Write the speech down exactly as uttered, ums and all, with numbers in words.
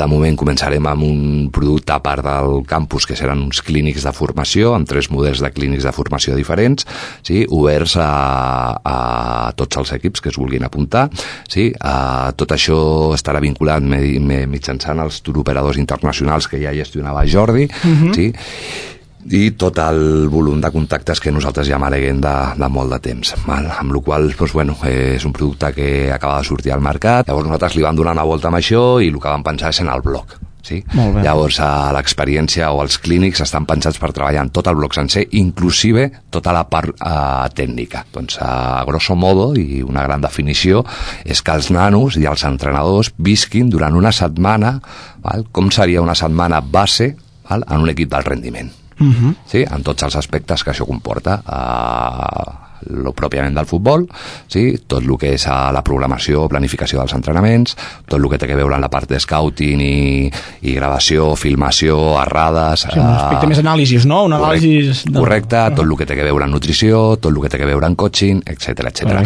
De moment començarem amb un producte a part del campus, que seran uns clínics de formació, amb tres models de clínics de formació diferents, sí, oberts a, a tots els equips que es vulguin apuntar. Sí, a, tot això estarà vinculat mitjançant els turoperadors internacionals que ja gestionava Jordi, uh-huh. sí, i tot el volum de contactes que nosaltres ja maneguem de, de molt de temps, val? Amb la qual cosa, doncs, bueno, eh, és un producte que acaba de sortir al mercat. Llavors nosaltres li vam donar una volta amb això i el que vam pensar és en el blog. Sí? Llavors a l'experiència o els clínics estan pensats per treballar en tot el bloc sencer, inclusive tota la part eh, tècnica. Doncs a grosso modo, i una gran definició, és que els nanos i els entrenadors visquin durant una setmana, val? Com seria una setmana base, val? En un equip d'alt rendiment. Uh-huh. Sí, en tots els aspectes que això comporta, uh, lo pròpiament del futbol, sí, tot el que és uh, la programació, planificació dels entrenaments, tot el que té a veure amb la part de scouting i, i gravació, filmació, errades... Sí, un aspecte uh, més anàlisis, no? Un anàlisis... Correcte, de... correcte, tot el que té a veure amb nutrició, tot el que té a veure amb coaching, etcètera, etcètera.